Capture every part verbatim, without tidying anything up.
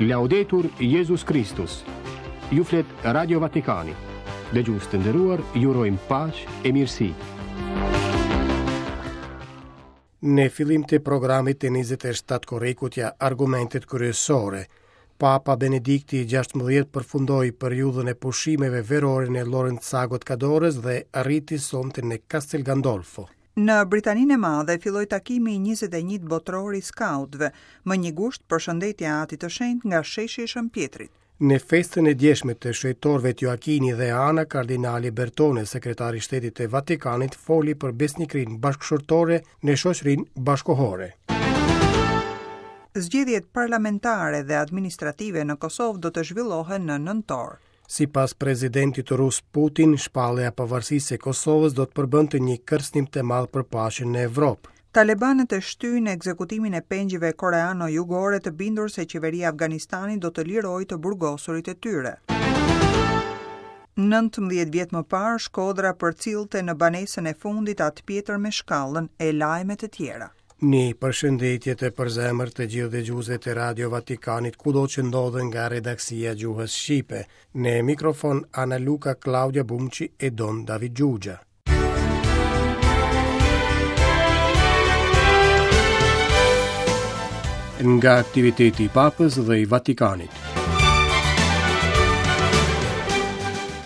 Laudetur Jezus Kristus. Ju flet Radio Vatikani. Dëgjues të nderuar, ju urojmë paqe e mirësi. Në fillim të programit të njëzet e shtatë korrikut ja argumentet kryesore. Papa Benedikti i gjashtëmbëdhjetë përfundoi periudhën e pushimeve verore në Lorenzago të Cadorës dhe arriti sonte në Castel Gandolfo. Në Britaninë e Madhe filloi takimi i njëzet e një botëror i skautëve, më një gusht përshëndetja e Atit të Shenjtë nga sheshi i Shën Pjetrit. Në festën e djeshme të shenjtorëve Joakini dhe Ana, kardinali Bertone, sekretari i Shtetit të Vatikanit, foli për besnikërinë bashkëshortore në shoqërinë bashkohore. Zgjedhjet parlamentare dhe administrative në Kosovë do të zhvillohen në nëntor. Sipas presidentit rus Putin, shpallja e pavarësisë së Kosovës do të përbënte një kërcënim të madh për paqen në Evropë. Talibanët e shtyjnë ekzekutimin e pengjeve koreano-jugore të bindur se qeveria e Afganistanit do të lirojë të burgosurit e tyre. Nëntëmbëdhjetë vjet më parë, Shkodra përcillte në banesën e fundit atë Pjetër me shkallën e lajme të tjera. Një përshëndetje të përzemër të gjithë dëgjuesve të Radio Vatikanit, kudo që ndodhen nga redaksia e gjuhës shqipe. Në mikrofon Ana Luka, Claudia Bumçi e Don David Gjugja. Nga aktiviteti i Papës dhe i Vatikanit.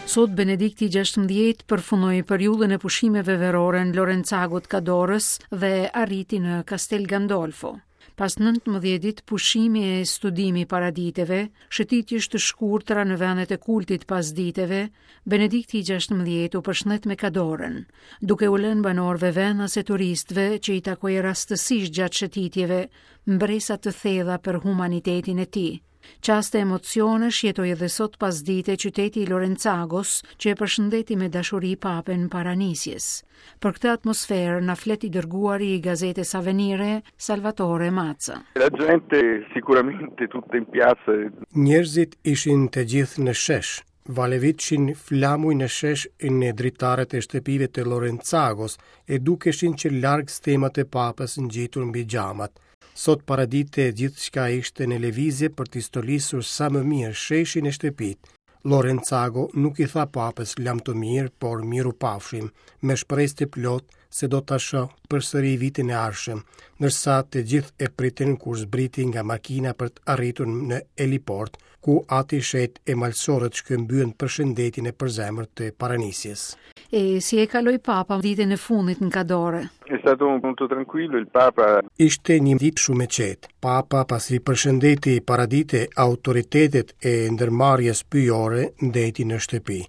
Sot Benedikti i gjashtëmbëdhjetë përfundoi periudhën e pushimeve verore në Lorenzago të Cadorës dhe arriti në Castel Gandolfo. Pas nëntëmbëdhjetë ditë pushimi e studimi para diteve, shëtitjesh të shkurtra në vendet e kultit pas diteve, Benedikti i gjashtëmbëdhjetë u përshëndet me Cadorën, duke u lënë banorëve vendas e turistëve që i takoi rastësisht gjatë shëtitjeve mbresa të thella për humanitetin e tij. Çaste emocionesh jetoi edhe sot pas dite qyteti i Lorenzagos, që e përshëndeti me dashuri papen para nisjes. Për këtë atmosferë na flet i dërguari i gazetës Avvenire, Salvatore Mazza. La gente sicuramente tutta in piazza. Njerëzit ishin të gjithë në shesh. Valevitshin flamuj në shesh në dritaret e shtëpive të Lorenzagos e dukeshin që larg stemat e papës ngjitur mbi xhamat. Sot paradite gjithçka ishte në lëvizje për t'i stolisur sa më mirë sheshin e shtëpit. Lorenzago nuk i tha papës lamtumirë, por miru pafshim, me shpresë të plotë se do ta shoh përsëri vitin e ardhshëm, ndërsa të gjithë e pritën kur zbriti nga makina për të arritur në heliport, ku ati shet e malsorët shkëmbyen përshëndetjen e përzemërt të paranisjes. E si e kaloi papa ditën e fundit në Cadore? È stato molto tranquillo il Papa. Ishte një ditë shumë e qetë. Papa pasi përshëndeti paradite autoritetet e ndërmarrjes pyjore, ndeti në shtëpi.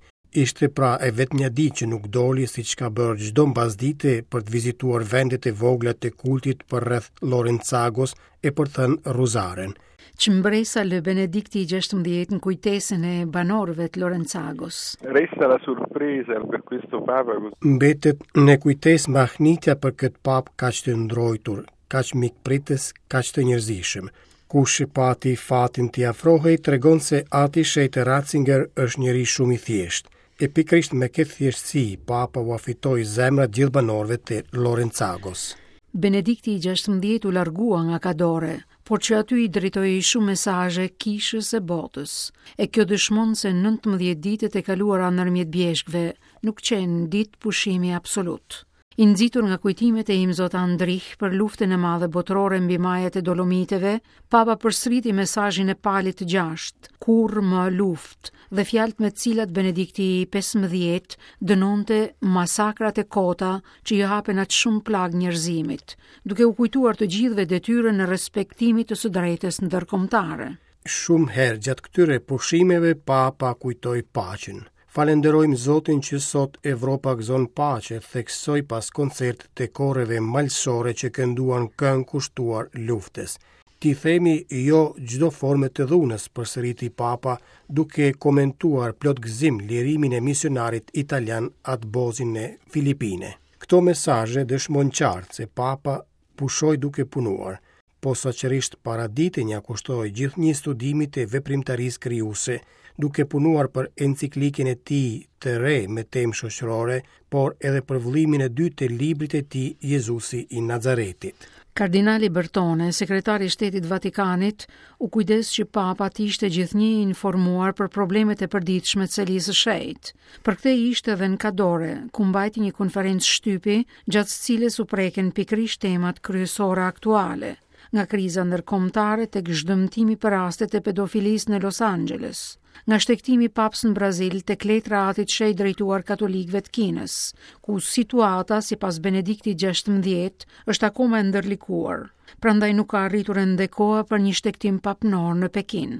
Ishte pra e vetmja ditë që nuk doli siç ka bërë çdo mbasdite për të vizituar vendet e vogla të kultit përreth Lorenzagos e për të thënë Ruzaren. Ç'mbresa lë Benedikti i gjashtëmbëdhjetë në kujtesën e banorëve të Lorenzagos? Resta la sorpresa per questo Papa. Mbetet në kujtesë mahnitja për këtë papë kaq të ndrojtur, kaq mikpritës, kaq të njerëzishëm. Kush i pati fatin t'i afrohej, tregon se ati shenjt Ratzinger është njeri shumë i thjeshtë. E pikërisht me këtë thjeshtësi, papa ua fitoi zemrat gjithë banorëve të Lorenzagos. Benedikti i gjashtëmbëdhjetë u largua nga Cadore, por që aty i drejtoi shumë mesazhe kishës e botës. E kjo dëshmon se nëntëmbëdhjetë ditët e kaluara ndërmjet bjeshkëve nuk qenë ditë pushimi absolut. I nxitur nga kujtimet e Imzot Andrich për luftën e madhe botërore mbi majat e Dolomiteve, Papa përsëriti mesazhin e Palit të gjashtë, kurrë më luftë, dhe fjalët me të cilat Benedikti i pesëmbëdhjetë dënonte masakrat e kota që i hapen aq shumë plagë njerëzimit, duke u kujtuar të gjithëve detyrën e respektimit të së drejtës ndërkombëtare. Shumë herë gjatë këtyre pushimeve Papa kujtoi paqen. Falenderojmë Zotin që sot Evropa gëzon paqe, theksoi pas koncertit të koreve malsore që kënduan këngë kushtuar luftës. Ti themi jo çdo forme të dhunës, përsëriti Papa, duke komentuar plot gëzim lirimin e misionarit italian Atë Bozin në Filipine. Këto mesazhe dëshmojnë qartë se Papa pushoi duke punuar. Posaçërisht paraditen ja kushtoi gjithnjë studimit të veprimtarisë krijuese, duke punuar për enciklikën e tij të re me temë shoqërore, por edhe për vëllimin e dytë të librit të tij Jezusi i Nazaretit. Kardinali Bertone, sekretari i Shtetit Vatikanit, u kujdes që Papa të ishte gjithnjë i informuar për problemet e përditshme të Selisë së Shenjtë. Për këtë ishte edhe në Kadore, ku mbajti një konferencë shtypi, gjatë së cilës u preken pikërisht temat kryesore aktuale, nga kriza ndërkombëtare tek zhdëmtimi për rastet e pedofilisë në Los Angeles, nga shtegtimi i papës në Brazil tek letra e Atit Shenjt drejtuar katolikëve të Kinës, ku situata sipas Benediktit gjashtëmbëdhjetë është akoma e ndërlikuar, prandaj nuk ka arritur ende koha për një shtegtim papnor në Pekin.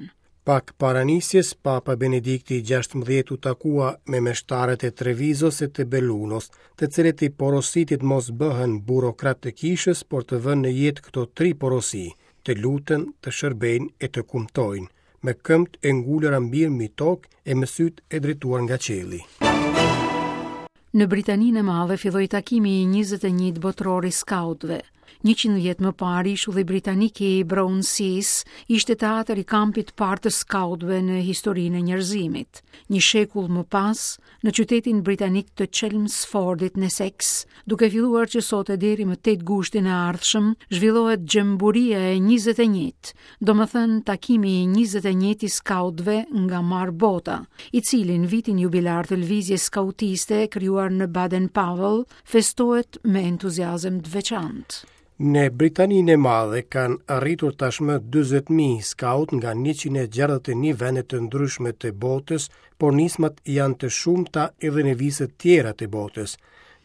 Pak para nisjes, Papa Benedikti gjashtëmbëdhjetë u takua me meshtarët e Trevizos e të Bellunos, të cilët i porositi të mos bëhen burokrat të kishës, por të vënë në jetë këto tri porosi, të luten, të shërbejnë e të kumtojnë, me këmbët e ngulura mirë mbi tokë e me sytë e drejtuar nga qielli. Në Britaninë e Madhe filloi takimi i njëzet e njëjtë botëror i skautëve. Njëqind vjet më parë, ishulli britanik i Brownsea ishte teatër i kampit të parë të skautëve në historinë e njerëzimit. Një shekull më pas, në qytetin britanik të Chelmsfordit në Essex, duke filluar që sot e deri më tetë gushtin e ardhshëm, zhvillohet xhamburia e njëzet e njëjtë, domethënë takimi i njëzet e njëjtë i skautëve nga marr bota, i cili në vitin jubilar të lëvizjes skautiste krijuar në Baden-Powell festohet me entuziazëm të veçantë. Në Britaninë e Madhe kanë arritur tashmë dyzet mijë skaut nga njëqind e gjashtëdhjetë e një vende të ndryshme të botës, por nismat janë të shumta edhe në vise tjera të botës.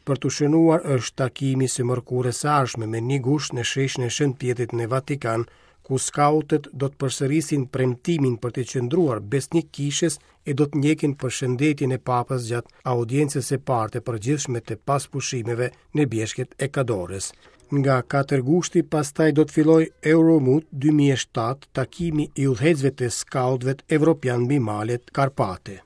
Për të shënuar është takimi së mërkurës së ardhshme me një gusht në sheshin e Shën Pjetrit në Vatikan, ku skautët do të përsërisin premtimin për të qëndruar besnik kishës e do të ndjekin përshëndetjen e papës gjatë audiencës së parë të përgjithshme të paspushimeve në bjeshkët e Kadorës. Nga katër gushti pastaj do të fillojë Euromut dy mijë e shtatë, takimi i udhëheqësve të skautëve evropian mbi malet Karpate.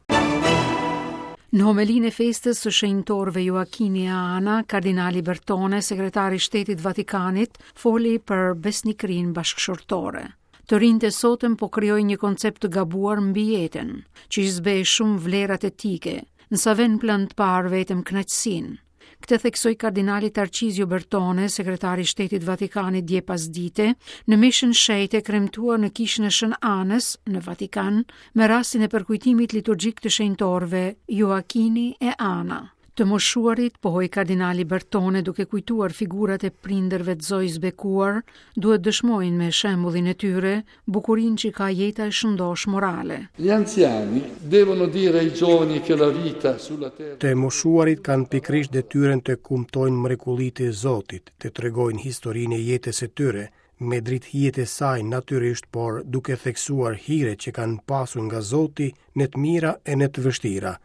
Në homelinë e festës së shenjtorëve Joakini e Ana, kardinali Bertone, sekretari i Shtetit Vatikanit, foli për besnikërinë bashkëshortore. Të rinjtë e sotëm po krijojnë një koncept të gabuar mbi jetën, që i zbeh shumë vlerat etike, nësa vën plan të parë vetëm kënaqësinë. Këtë theksoi kardinali Tarcizio Bertone, sekretari i Shtetit Vatikanit dje pasdite, në mishën shenjtë e kremtuar në kishën e Shën Anës në Vatikan, me rastin e përkujtimit liturgjik të shenjtorëve Joakini e Ana. Të moshuarit, pohoi kardinali Bertone duke kujtuar figurat e prindërve të Zojës bekuar, duhet dëshmojnë me shembullin e tyre bukurinë që ka jeta e shëndosh morale. Gli anziani devono dire ai giovani che la vita sulla terra Të moshuarit kanë pikërisht detyrën të kumtojnë mrekullitë e Zotit, të tregojnë historinë e jetës së tyre, me dritëhijet e saj natyrisht, por duke theksuar hiret që kanë pasur nga Zoti në të mira e në të vështira.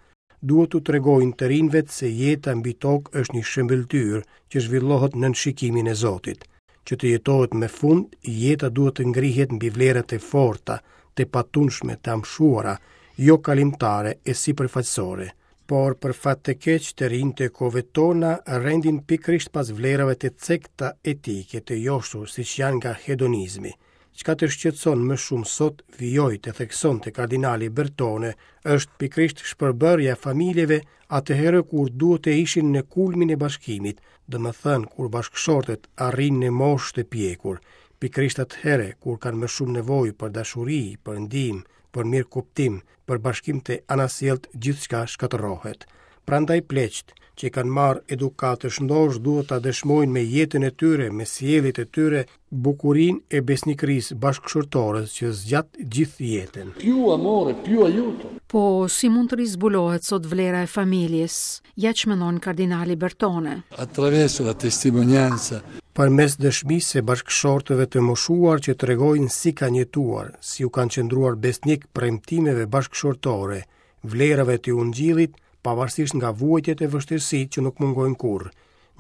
Duhet t'u tregojnë të rinjve se jeta mbi tokë është një shëmbëlltyrë që zhvillohet nën shikimin e Zotit. Që të jetohet me fund, jeta duhet të ngrihet mbi vlerat e forta, të patundshme, të amshuara, jo kalimtare e sipërfaqësore. Por për fat të keq, të rinjtë e kohëve tona rendin pikërisht pas vlerave të cekta etike të joshur, siç janë nga hedonizmi. Çka të shqetëson më shumë sot, vijoi të theksonte kardinali Bertone, është pikërisht shpërbërja e familjeve atëherë kur duhet të ishin në kulmin e bashkimit, domethënë kur bashkëshortët arrijnë në moshë të pjekur, pikërisht atëherë kur kanë më shumë nevojë për dashuri, për ndihmë, për mirëkuptim, për bashkim të anasjelltë, gjithçka shkatërrohet. Prandaj pleqt që kanë marrë edukatë të shëndosh duhet ta dëshmojnë me jetën e tyre, me sjelljet e tyre, bukurinë e besnikërisë bashkëshortore që zgjat gjithë jetën. Più amore, più aiuto. Po si mund të rizbulohet sot vlera e familjes? Ja ç'mendon kardinali Bertone. Attraverso la testimonianza. Përmes dëshmisë së bashkëshortëve të moshuar që tregojnë si kanë jetuar, si u kanë qëndruar besnik premtimeve bashkëshortore, vlerave të ungjillit, pavarësisht nga vuajtjet e vështirësitë që nuk mungojnë kurrë.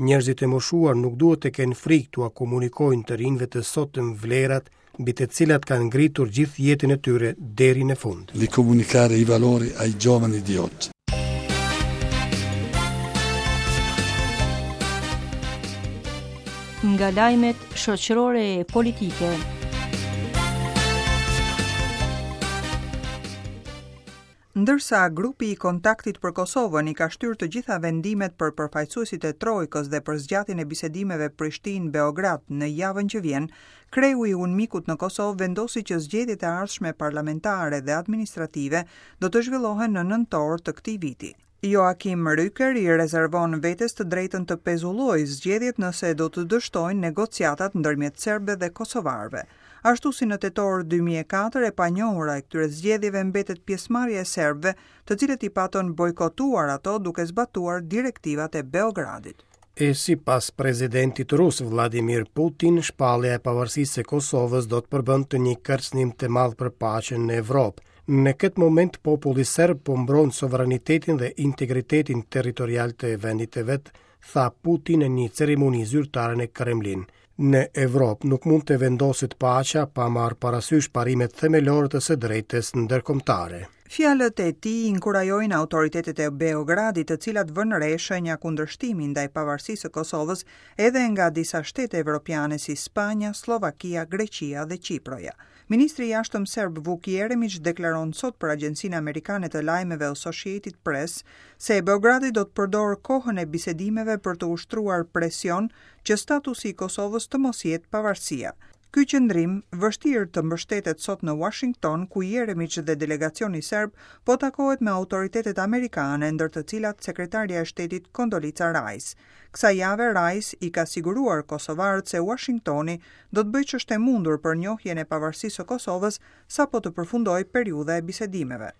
Njerëzit e moshuar nuk duhet të kenë frikë t'ua komunikojnë të rinjve të sotëm vlerat mbi të cilat kanë ngritur gjithë jetën e tyre deri në fund. Di comunicare i valori ai giovani di oggi. Nga lajmet shoqërore e politike. Ndërsa grupi i kontaktit për Kosovën i ka shtyrë të gjitha vendimet për përfaqësuesit e Trojkës dhe për zgjatjen e bisedimeve Prishtinë-Beograd në javën që vjen, kreu i UNMIK-ut në Kosovë vendosi që zgjedhjet e ardhshme parlamentare dhe administrative do të zhvillohen në nëntor të këtij viti. Joachim Rücker i rezervon vetes të drejtën të pezullojë zgjedhjet nëse do të dështojnë negociatat ndërmjet serbëve dhe kosovarëve. Ashtu si në tetor dy mijë e katër, e panjohura e këtyre zgjedhjeve mbetet pjesëmarrja e serbëve, të cilët i patën bojkotuar ato duke zbatuar direktivat e Beogradit. E sipas presidentit rus Vladimir Putin, shpallja e pavarësisë së Kosovës do të përbënte një kërcënim të madh për paqen në Evropë. Në këtë moment populli serb po mbron sovranitetin dhe integritetin territorial të vendit të vet, tha Putin në një ceremoni zyrtare në Kremlin. Në Evropë nuk mund të vendoset paqja pa marrë parasysh parimet themelore të së drejtës ndërkombëtare. Fjalët e tij inkurajojnë autoritetet e Beogradit, të cilat vënë re shenja kundërshtimi ndaj pavarësisë së Kosovës edhe nga disa shtete evropiane si Spanja, Sllovakia, Greqia dhe Qiproja. Ministri i Jashtëm serb Vuk Jeremić deklaron sot për Agjencinë Amerikane të Lajmeve Associated Press se Beogradi do të përdorë kohën e bisedimeve për të ushtruar presion që statusi i Kosovës të mos jetë pavarësia. Ky qëndrim vështirë të mbështetet sot në Washington, ku Jeremić dhe delegacioni serb po takohet me autoritetet amerikane, ndër të cilat sekretarja e shtetit Condoleezza Rice. Kësaj jave Rice i ka siguruar kosovarët se Washingtoni do të bëjë ç'është e mundur për njohjen e pavarësisë së Kosovës sapo të përfundojë periudha e bisedimeve.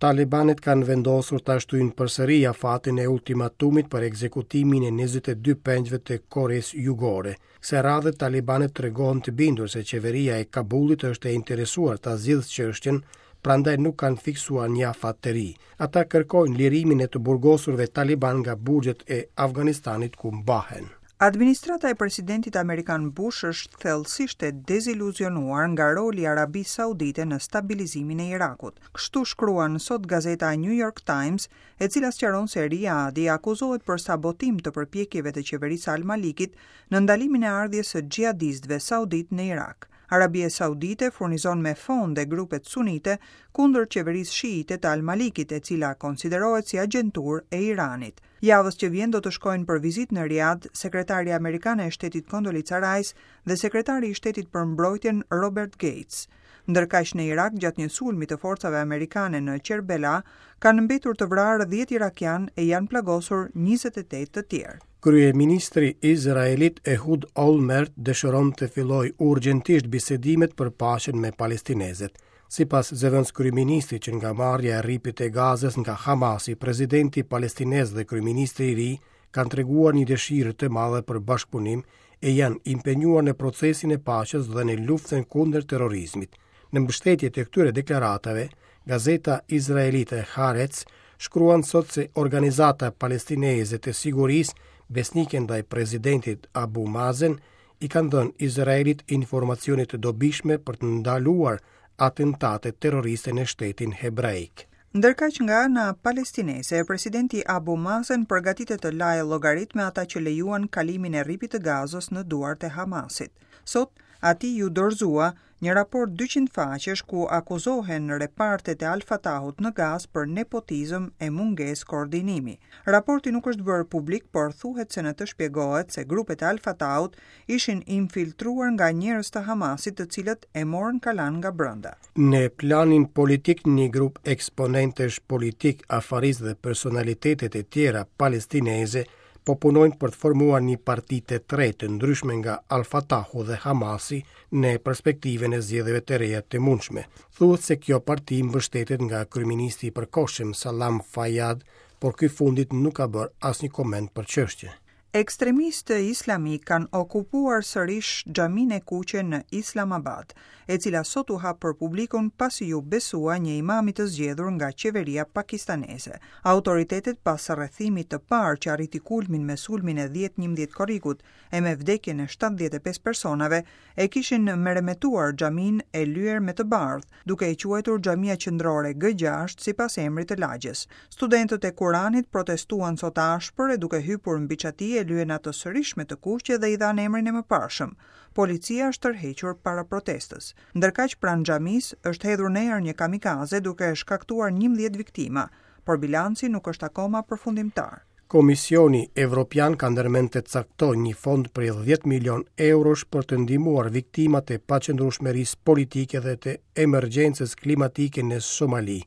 Talibanët kanë vendosur ta shtyjnë përsëri afatin e ultimatumit për ekzekutimin e njëzet e dy pengjve të Koresë Jugore. Kësaj radhe talibanët tregohen të bindur se qeveria e Kabulit është e interesuar ta zgjidhë çështjen, prandaj nuk kanë fiksuar një afat të ri. Ata kërkojnë lirimin e të burgosurve taliban nga burgjet e Afganistanit ku mbahen. Administrata e presidentit amerikan Bush është thellësisht e deziluzionuar nga roli i Arabisë Saudite në stabilizimin e Irakut. Kështu shkruan sot gazeta New York Times, e cila sqaron se Riyadi akuzohet për sabotim të përpjekjeve të qeverisë Al-Malikit në ndalimin e ardhjes së xhihadistëve saudit në Irak. Arabia Saudite furnizon me fonde grupet sunite kundër qeverisë shiite të Al-Malikit, e cila konsiderohet si agjenturë e Iranit. Javës që vjen do të shkojnë për vizitë në Riyadh sekretarja amerikane e shtetit Condoleezza Rice dhe sekretari i shtetit për mbrojtjen Robert Gates. Ndërkaq në Irak, gjatë një sulmi të forcave amerikane në Qerbela, kanë mbetur të vrarë dhjetë irakian e janë plagosur njëzet e tetë të tjerë. Kryeministri izraelit Ehud Olmert dëshiron të fillojë urgjentisht bisedimet për paqen me palestinezët. Sipas zëvendëskryeministrit që nga marrja e rripit të Gazës nga Hamasi, presidenti palestinez dhe kryeministri i ri kanë treguar një dëshirë të madhe për bashkëpunim e janë impenjuar në procesin e paqes dhe në luftën kundër terrorizmit. Në mbështetje të këtyre deklaratave, gazeta izraelite Haaretz shkruan sot se organizata palestineze të sigurisë besnike ndaj presidentit Abu Mazen i kanë dhënë Izraelit informacione të dobishme për të ndaluar atentate terroriste në shtetin hebraik. Ndërkaq nga ana palestineze, presidenti Abu Mazen përgatitet të lajë llogarit me ata që lejuan kalimin e rripit të Gazës në duart e Hamasit. Sot, atij ju dorëzua një raport dyqind faqesh ku akuzohen repartet e Al-Fatahut në Gazë për nepotizëm e mungesë koordinimi. Raporti nuk është bërë publik, por thuhet se në të shpjegohet se grupet e Al-Fatahut ishin infiltruar nga njerëz të Hamasit, të cilët e morën kalan nga brenda. Në planin politik, një grup eksponentësh politik, afarist dhe personalitetet e tjera palestineze po punojnë për të formuar një parti të tretë të ndryshme nga Al-Fatahu dhe Hamasi në perspektivën e zgjedhjeve të reja të mundshme. Thuhet se kjo parti mbështetet nga kryeministri i përkohshëm Salam Fayyad, por ky fundit nuk ka bërë asnjë koment për çështjen. Ekstremistë islamik kanë okupuar sërish xhaminë e kuqe në Islamabad, e cila sot u hap për publikun pasi ju besua një imami të zgjedhur nga qeveria pakistaneze. Autoritetet pas rrethimit të parë që arriti kulmin me sulmin e dhjetë njëmbëdhjetë korrikut e me vdekjen e shtatëdhjetë e pesë personave, e kishin meremetuar xhaminë e lyer me të bardhë, duke e quajtur xhamia qendrore G gjashtë sipas emrit të lagjes. Studentët e Kuranit protestuan sot ashpër e duke hypur mbi çati e e lyen atë sërish me të kuqe dhe i dhanë emrin e mëparshëm. Policia është tërhequr para protestës. Ndërkaq pranë xhamisë është hedhur në erë një kamikaze duke shkaktuar njëmbëdhjetë viktima, por bilanci nuk është akoma përfundimtar. Komisioni Evropian ka ndërmend të caktojë një fond prej dhjetë milion eurosh për të ndihmuar viktimat e paqëndrueshmërisë politike dhe të emergjencës klimatike në Somali.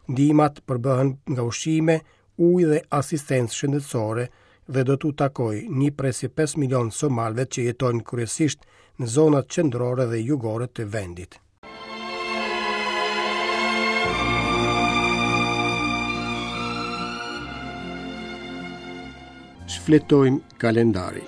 Ndihmat përbëhen nga ushqime, ujë dhe asistencë shëndetësore dhe do t'u takojë një presje pesë milion somalëve që jetojnë kryesisht në zonat qendrore dhe jugore të vendit. Shfletojmë kalendarin.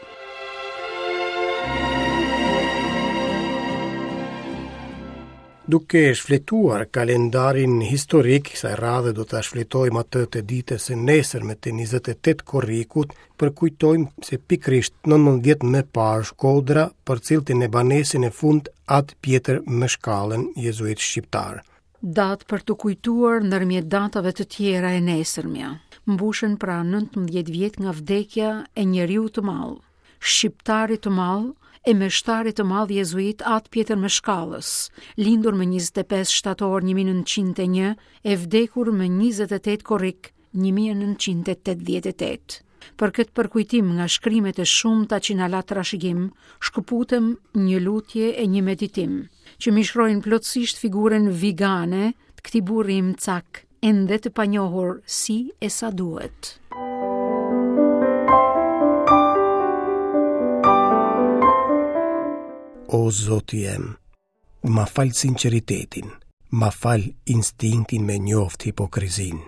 Duke shfletuar kalendarin historik, kësaj radhe do ta shfletojmë atë të ditës së nesërme të njëzet e tetë korrikut, përkujtojmë se pikërisht nëntëmbëdhjetë vjet më parë Shkodra përcillte në banesën e fund Atë Pjetër Mëshkallën, jezuit shqiptar. Datë për të kujtuar ndërmjet datave të tjera e nesërmja. Mbushen pra nëntëmbëdhjetë vjet nga vdekja e njeriu të madh, shqiptarit të madh e meshtarit të madh jezuit Atë Pjetër Mëshkallës, lindur më njëzet e pesë shtator një mijë e nëntëqind e një e vdekur më njëzet e tetë korrik një mijë e nëntëqind e tetëdhjetë e tetë. Për këtë përkujtim nga shkrimet e shumta që na la trashëgim, shkëputem një lutje e një meditim, që mishrojnë plotësisht figurën vigane të këtij burri imcak, ende të panjohur si e sa duhet. O Zoti jem, ma fal sinqeritetin, ma fal instinktin me njoft hipokrizin,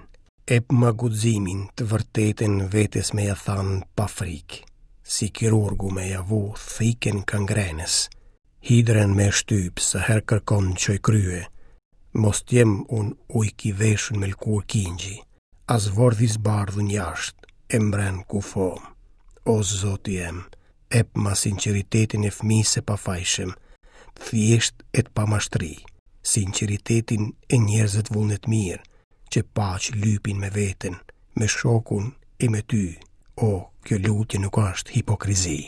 ep ma guximin të vërtetën vetes me ja than pa frikë, si kirurgu me ja vu thikën kangrenës, hidrën me shtyp sa herë kërkon qoj krye, mos t'jem un ujk i veshun me lkur kingji, as vordhi zbardhun jashtë, e mbren kufom. O Zoti jem, ep ma sinqeritetin e fëmijës së pafajshëm, të thjesht e të pamashtri, sinqeritetin e njerëzve të vullnet mirë, që paq lypin me veten, me shokun e me ty. O, kjo lutje nuk është hipokrizi.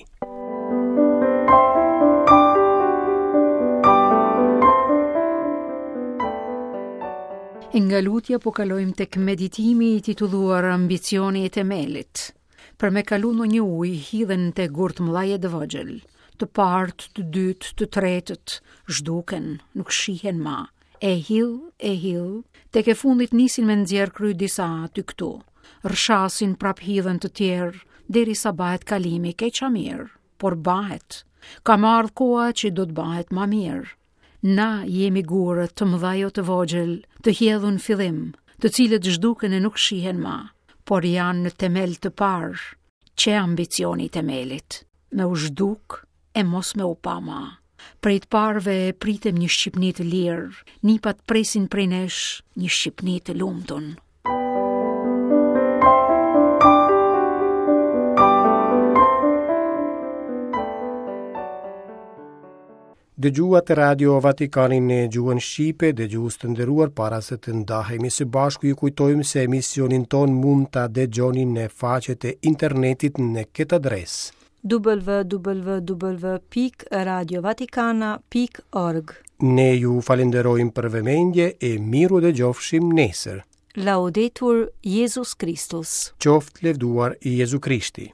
E nga lutja po kalojmë tek meditimi i titulluar Ambicioni i temelit. Për me kalu në një ujë, hidhen te gurt mëdhaj e të vogël, të partë, të dytë, të tretët, zhduken, nuk shihen ma, e hill, e hill, tek e fundit nisin me nxjerr kry disa aty këtu, rrshasin prap hidhen të tjerë, derisa bahet kalimi keq a mirë, por bahet, ka marrë koha që do të bahet ma mirë. Na jemi gurët të mëdhaj o të vogël, të hjedhun fillim, të cilët zhduken e nuk shihen ma, por janë në temel të parë, që ambicioni i temelit, me u zhduk e mos me u pa ma. Prej të parëve pritem një Shqipni të lirë, nipat presin prej nesh një Shqipni të lumtun. Dëgjuat Radio Vatikanin në gjuhën shqipe, dëgjues të nderuar, para se të ndahemi së bashku ju kujtojmë se emisionin ton mund ta dëgjoni në faqet e internetit në këtë adresë: w w w pikë radio vatikana pikë org. Ne ju falenderojmë për vëmendje e miru dëgjofshim nesër. Laudetur Jezus Kristus. Qoftë levduar Jezu Krishti.